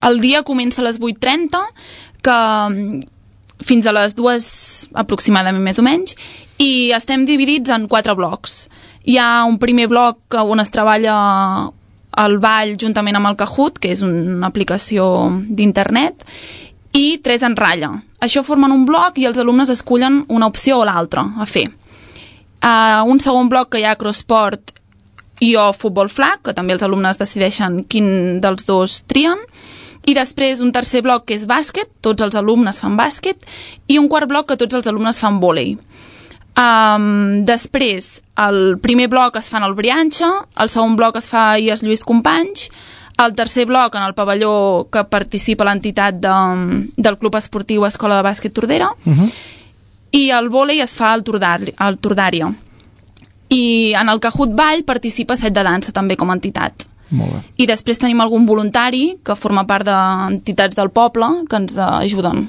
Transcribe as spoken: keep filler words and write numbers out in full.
el dia comença a les vuit trenta, que fins a les dues aproximadament més o menys, i estem dividits en quatre blocs. Hi ha un primer bloc on es treballa el ball juntament amb el Kahoot, que és una aplicació d'internet, i tres en ratlla. Això formen un bloc i els alumnes escullen una opció o l'altra a fer. Uh, un segon bloc que hi ha crossport i o futbol flag, que també els alumnes decideixen quin dels dos trien, i després un tercer bloc que és bàsquet, tots els alumnes fan bàsquet, i un quart bloc que tots els alumnes fan vòlei. Um, després, el primer bloc es fa en el Brianxa, el segon bloc es fa a I E S Lluís Companys, el tercer bloc en el pavelló que participa l'entitat de, del Club Esportiu Escola de Bàsquet Tordera, uh-huh. i el vòlei es fa al Tordària. I en el Kahoot Ball participa Set de Dansa també com a entitat. Molt bé. I després tenim algun voluntari que forma part d'entitats del poble que ens ajuden.